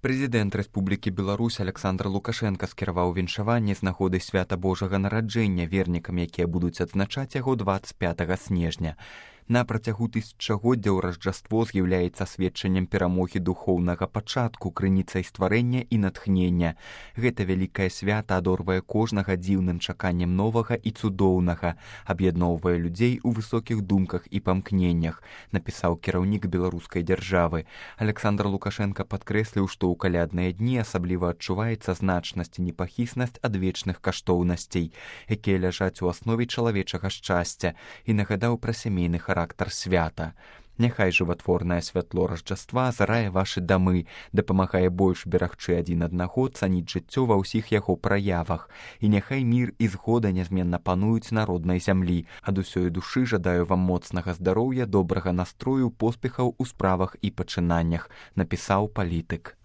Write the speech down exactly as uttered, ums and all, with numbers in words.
Прэзідэнт Рэспублікі Беларусь Александр Лукашенка скіраваў віншаванне з нагоды свята Божага нараджэння вернікам, якія будуць адзначаць яго дваццаць пятага снежня. На працягу тысячагоддзяў Ражджаство з'яўляецца сведчаннем перамогі духоўнага пачатку, крыніцай стварэння і натхнення. Гэта вялікае свята адорвае кожнага дзіўным чаканнем новага і цудоўнага, аб'ядноўвае людзей у высокіх думках і памкненнях, напісаў кіраўнік беларускай дзяржавы. Александр Лукашенка падкрэсліў, што ў калядныя дні асабліва адчуваецца значнасць і непахіснасць адвечных каштоўнасцей, якія ляжаць у аснове чалавечага шчасця, і нагадаў пра сямейны характар характар свята. Няхай жыватворнае святло Ражджаства азарае вашы дамы, дапамагае больш берагчы адзін аднаго, цаніць жыццё ва ўсіх яго праявах. І няхай мір і згода нязменна пануюць на роднай зямлі. Ад усёй душы жадаю вам моцнага здароўя, добрага настрою, поспехаў у справах і пачынаннях, напісаў палітык.